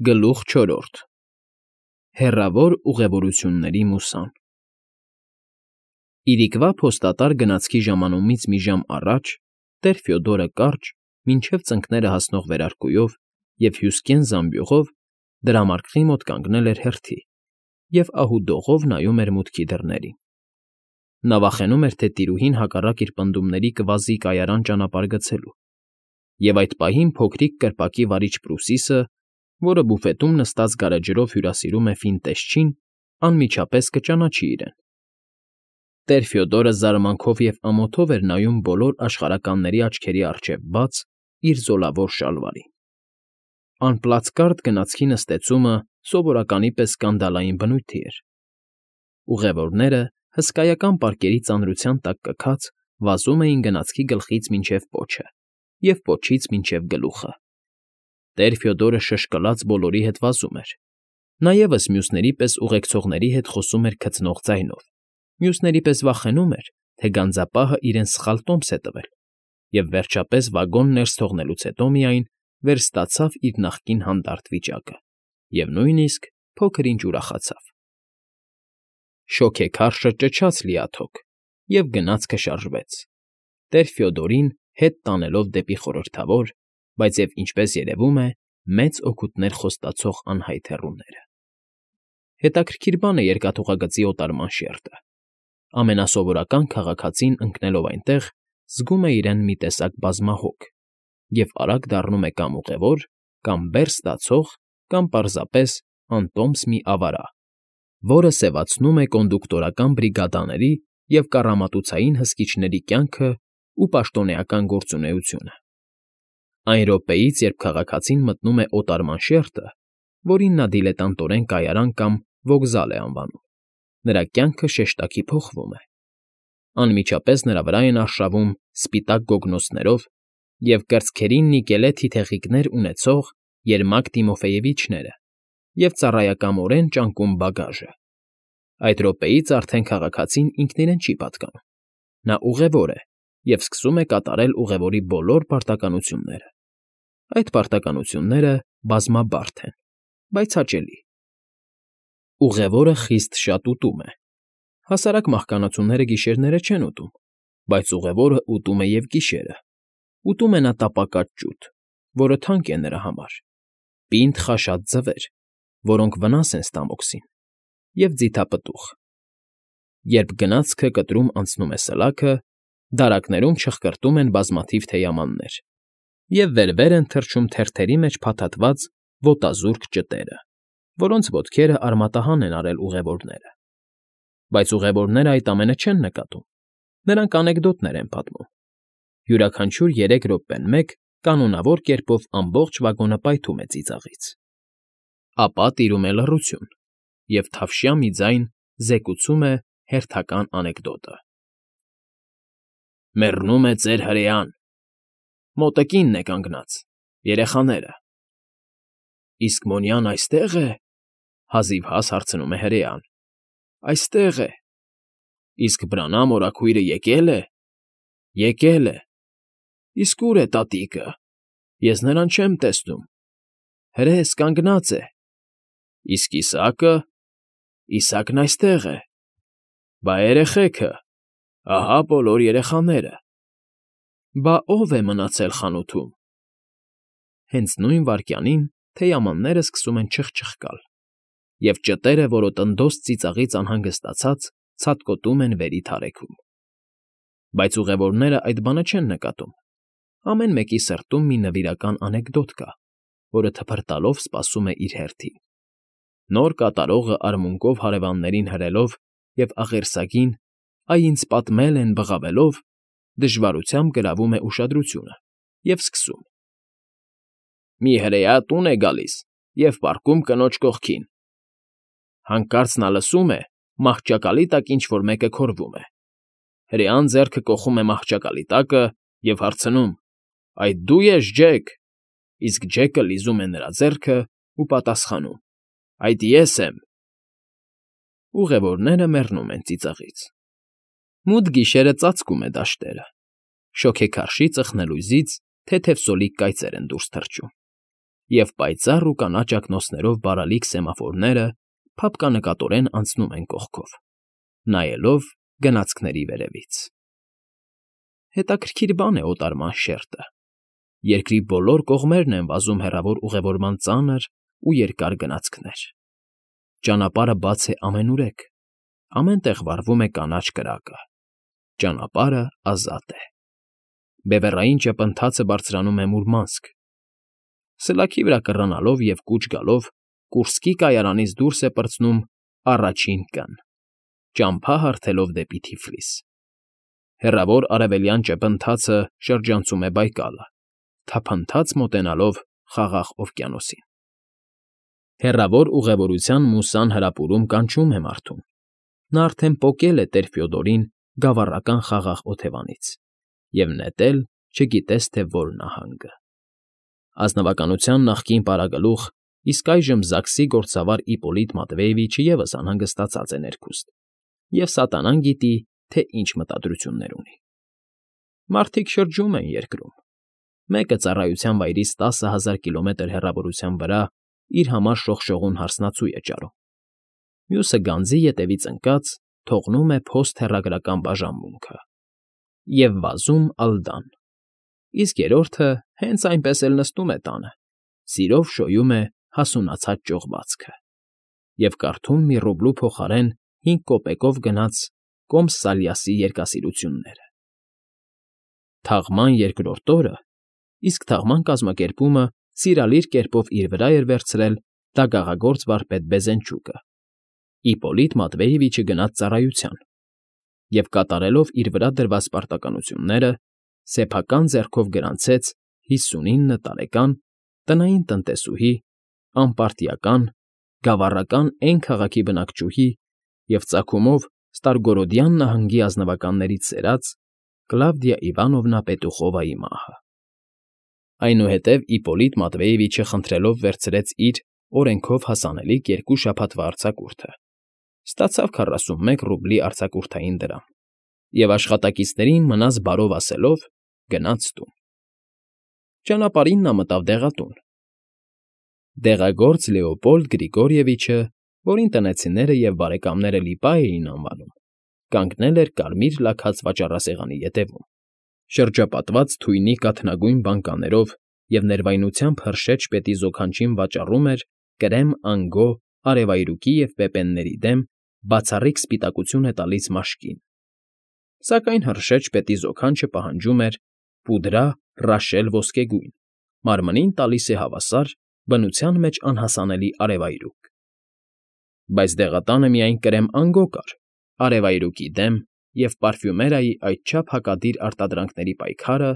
Գլուխ չորրորդ Հեռավոր ուղևորությունների մուսան Իրիկվա փոստատար գնացքի ժամանումից մի ժամ առաջ տեր Ֆյոդորը կարճ, մինչև ծնկները հասնող վերարկուով և հյուսկեն զամբյուղով դրամարկղի մոտ կանգնել էր հերթի և ահուդողով նայում էր մուտքի դռներին. նա վախենում էր, թե տիրուհին հակառակ իր պնդումների կվազի կայարան ճանապարհ գցելու, և այդ պահին փոքրիկ կրպակի վարիչ Պրուսիսը, որը բուֆետում նստած գարեջրով հյուրասիրում է ֆինտեշչին, անմիջապես կճանաչի իրեն։ Տեր Ֆյոդորը զարմանքով և ամոթով էր նայում բոլոր աշխարհականների աչքերի առջև բաց իր զոլավոր շալվարին։ Անպլացկարդ գնացքի նստեցումը սովորականի պես սկանդալային բնույթի էր։ Ուղևորները, հսկայական պարկերի ծանրության տակ կքած, վազում էին գնացքի գլխից մինչև պոչը և պոչից մինչև գլուխը։ Տեր Ֆյոդորը շշկլաց բոլորի հետ վազում էր։ Նա ևս մյուսների պես ուղեկցողների հետ խոսում էր քծնող ձայնով, մյուսների պես վախենում էր, թե գանձապահը իրեն սխալ տոմս է տվել, և վերջապես վագոն ներս թողնելուց հետո միայն վերստացավ իր նախկին հանդարտ վիճակը և նույնիսկ փոքր֊ինչ ուրախացավ։ Շոգեքարշը ճչաց լիաթոք, և գնացքը շարժվեց, տեր Ֆյոդորին հետ տանելով դեպի խորհրդավոր, բայց և, ինչպես երևում է, մեծ օգուտներ խոստացող անհայտ հեռուները։ Հետաքրքիր բան է երկաթուղագծի օտարման շերտը։ Ամենասովորական քաղաքացին ընկնելով այնտեղ, զգում է իրեն մի տեսակ բազմահոգ և արագ դառնում է կամ ուղևոր, կամ բեռ ստացող, կամ պարզապես անտոմս մի ավարա, որը սևացնում է կոնդուկտորական բրիգադաների և կառամատուցային հսկիչների կյանքն ու պաշտոնեական գործունեությունը։ Այն րոպեից, երբ քաղաքացին մտնում է օտարման շերտը, որին նա դիլետանտորեն կայարան կամ վոգզալ է անվանում, նրա կյանքը շեշտակի փոխվում է։ Անմիջապես նրա վրա են արշավում սպիտակ գոգնոցներով և կրծքերին նիկելե թիթեղիկներ ունեցող Երմակ Տիմոֆեևիչները և ծառայակամորեն ճանկում բագաժը։ Այդ րոպեից արդեն քաղաքացին ինքն իրեն չի պատկանում։ Նա ուղևոր է և սկսում է կատարել ուղևորի բոլոր պարտականությունները։ Այդ պարտականությունները բազմաբարդ են, բայց հաճելի։ Ուղևորը խիստ շատ ուտում է։ Հասարակ մահկանացուները գիշերները չեն ուտում, բայց ուղևորը ուտում է և գիշերը։ Ուտում է նա տապակած ջուտ, որը թանկ է նրա համար, պինդ խաշած ձվեր, որոնք վնաս են ստամոքսին, և ձիթապտուղ։ Երբ գնացքը կտրում անցնում է սլաքը, դարակներում չխկրտում են բազմաթիվ թեյամաններ, և վեր֊վեր են թռչում թերթերի մեջ փաթաթված ոտազուրկ ճտերը, որոնց ոտքերը արմատահան են արել ուղևորները։ Բայց ուղևորները այդ ամենը չեն նկատում, նրանք անեկդոտներ են պատմում։ Յուրաքանչյուր 3 րոպեն մեկ կանոնավոր կերպով ամբողջ վագոնը պայթում է ծիծաղից։ Ապա տիրում է լռություն, և թավշյա մի ձայն զեկուցում է հերթական անեկդոտը. Մեռնում է ծեր հրեան, մոտը կինն է կանգնած, երեխաները։ Իսկ Մոնյան այստե՞ղ է,֊ հազիվհազ հարցնում է հրեան։ Այստեղ է։ Իսկ Բրանամ օրաքույրը եկե՞լ է։ Եկել է։ Իսկ ո՞ւր է տատիկը։ Ես նրան չեմ տեսնում։ Հրես, կանգնած է։ Իսկ Իսակը։ Իսակն այստեղ է։ Բա երեխեքը։ Ահա բոլոր երեխաները։ Բա ո՞վ է մնացել խանութում։ Հենց նույն վայրկյանին թեյամանները սկսում են չխչխկալ, և ճտերը, որոտնդոզ ծիծաղից անհանգստացած, ցատկոտում են վերի թարեքում։ Բայց ուղևորները այդ բանը չեն նկատում։ Ամեն մեկի սրտում մի նվիրական անեկդոտ կա, որը թփրտալով սպասում է իր հերթին։ Նոր կատարողը արմունկով հարևաններին հրելով և աղերսագին «Այ ինձ պատմել են» բղավելով, դժվարությամբ գրավում է ուշադրությունը և սկսում. Մի հրեա տուն է գալիս և պառկում կնոջ կողքին։ Հանկարծ նա լսում է մահճակալի տակ ինչ֊որ մեկը քորվում է։ Հրեան ձեռքը կոխում է մահճակալի տակը և հարցնում. Այդ դու ես, Ջեք։ Իսկ Ջեկը լիզում է նրա ձեռքն ու պատասխանում. Այդ ես եմ։ Ուղևորները մեռնում են ծիծաղից։ Մութ գիշերը ծածկում է դաշտերը։ Շոգեքարշի ծխնելույզից թեթև սոլիկ կայծեր են դուրս թռչում։ և պայծառ ու կանաչ ակնոցներով բարալիկ սեմաֆորները փափկանկատորեն անցնում են կողքով, նայելով գնացքների վերևից։ Հետաքրքիր բան է օտարման շերտը. երկրի բոլոր կողմերն են վազում հեռավոր ուղևորման ծանր ու երկար գնացքներ։ Ճանապարհը բաց է ամենուրեք, ամեն տեղ վառվում է կանաչ կրակը։ Ճանապարհը ազատ է։ Բևեռային ճպընթացը բարձրանում է մուրմանսկ։ Սլաքի վրա կռանալով և կուչ գալով Կուրսկի կայարանից դուրս է պրծնում առաջին կն, ճամփա հարթելով դեպի Թիֆլիս։ Հեռավոր արևելյան ճպընթացը շրջանցում է Բայկալը, թափանցած մոտենալով Խաղաղ օվկիանոսին։ Հեռավոր ուղևորության մուսան հրապուրում կանչում է մարդուն։ Նա արդեն պոկել է տեր Ֆյոդորին գավառական խաղաղ օթևանից և նետել չգիտես թե որ նահանգը։ Ազնվականության նախկին պարագլուխ, իսկ այժմ ԶԱԳՍ֊ի գործավար Իպոլիտ Մատվեևիչը ևս անհանգստացած է ներքուստ և սատանան գիտի, թե ինչ մտադրություններ ունի։ Մարդիկ շրջում են երկրում։ Մեկը ծառայության վայրից 10,000 կիլոմետր հեռավորության վրա իր համար շողշողուն հարսնացուի է ճարում։ Մյուսը գանձի ետևից ընկած թողնում է փոստհեռագրական բաժանմունքը և վազում Ալդան, իսկ երրորդը հենց այնպես էլ նստում է տանը, սիրով շոյում է հասունացած ճողվածքը և կարդում մի ռուբլու փոխարեն 5 կոպեկով գնած Կոմս֊Սալյասի երգասիրությունները։ Թաղման երկրորդ օրը, իսկ թաղման կազմակերպումը սիրալիր կերպով իր վրա էր վերցրել դագաղագործ վարպետ Բեզենչուկը, Իպոլիտ Մատվեևիչը գնաց ծառայության և կատարելով իր վրա դրված պարտականությունները, սեփական ձեռքով գրանցեց 59 տարեկան տնային տնտեսուհի, անպարտիական, գավառական Էն քաղաքի բնակչուհի և ծագումով Ստարգորոդյան նահանգի ազնվականներից սերած Կլավդիա Իվանովնա Պետուխովայի մահը։ Այնուհետև Իպոլիտ Մատվեևիչը խնդրելով վերցրեց իր օրենքով հասանելիք 2 շաբաթվա արձակուրդը, ստացավ 41 ռուբլի արձակուրդային դրամ և աշխատակիցներին մնաս բարով ասելով գնաց տուն։ Ճանապարհին նա մտավ դեղատուն։ Դեղագործ Լեոպոլդ Գրիգորիևիչը, որին տնեցիները և բարեկամները Լիպա էին անվանում, կանգնել էր կարմիր լաքած վաճառասեղանի ետևում, շրջապատված թույնի կաթնագույն բանկաներով և ներվայնությամբ հրշեջ պետի զոքանչին վաճառում էր կրեմ անգո, արևայրուկի և պեպենների դեմ բացառիկ սպիտակություն է տալիս մաշկին, սակայն հրշեջ պետի զոքանչը պահանջում էր պուդրա ռաշել ոսկեգույն, մարմնին տալիս է հավասար, բնության մեջ անհասանելի արևայրուկ։ Բայց դեղատանը միայն կրեմ անգո կար, արևայրուկի դեմ և պարֆյումերիայի այդչափ հակադիր արտադրանքների պայքարը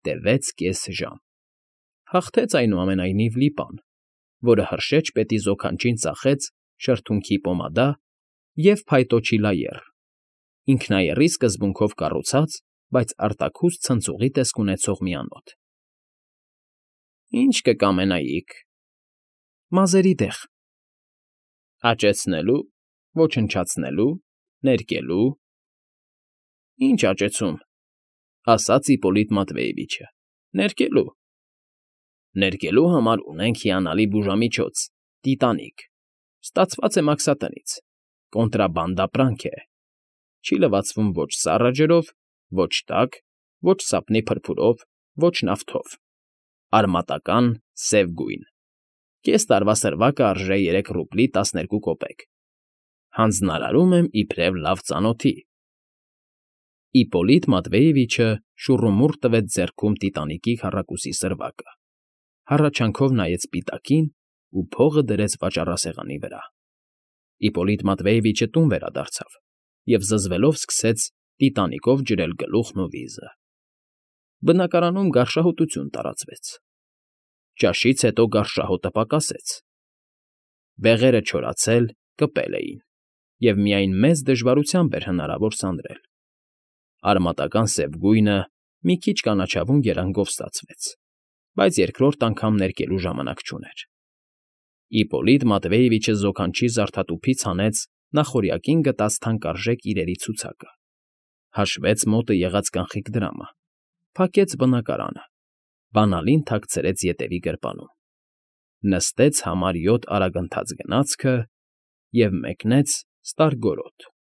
տևեց կես ժամ։ Հաղթեց այնուամենայնիվ Լիպան, որը հրշեջ պետի զոքանչին ծախեց շրթունքի պոմադա և փայտոջի լայեռ, ինքնաեռի սկզբունքով կառուցած, բայց արտաքուստ ցնցուղի տեսք ունեցող մի անոթ։ Ի՞նչ կկամենայիք։ Մազերի դեղ։ Աճեցնելու, ոչնչացնելու, ներկելու։ Ինչ աճեցում, ասաց Իպոլիտ Մատվեևիչը, ներկելու։ Ներկելու համար ունենք հիանալի բուժամիջոց՝ տիտանիկ, ստացված է մաքսատնից, կոնտրաբանդ ապրանք է, չի լվացվում ոչ սառը ջրով, ոչ տաք, ոչ սապնի փրփուրով, ոչ նավթով, արմատական, սև գույն, կես տարվա սրվակը արժե 3 ռուբլի 12 կոպեկ, հանձնարարում եմ իբրև լավ ծանոթի։ Իպոլիտ Մատվեևիչը շուռումուռ տվեց ձեռքում տիտանիկի քառակուսի սրվակը, հառաչանքով նայեց սպիտակին ու փողը դրեց վաճառասեղանի վրա։ Իպոլիտ Մատվեևիչը տուն վերադարձավ և զզվելով սկսեց տիտանիկով ջրել գլուխն ու վիզը։ Բնակարանում գարշահոտություն տարածվեց։ Ճաշից հետո գարշահոտը պակասեց։ Բեղերը չորացել, կպել էին, և միայն մեծ դժվարությամբ էր հնարավոր սանրել։ Արմատական սև գույնը մի քիչ կանաչավուն երանգով ստացվեց, բայց երկրորդ անգամ ներկելու ժամանակ չուներ։ Իպոլիտ Մատվեևիչը զոքանչի զարդատուփից հանեց նախօրյակին գտած թանկարժեք իրերի ցուցակը, հաշվեց մոտը եղած կանխիկ դրամը, փակեց բնակարանը, բանալին թաքցրեց ետևի գրպանում։ նստեց համար 7 արագընթաց գնացքը և մեկնեց Ստարգորոտ։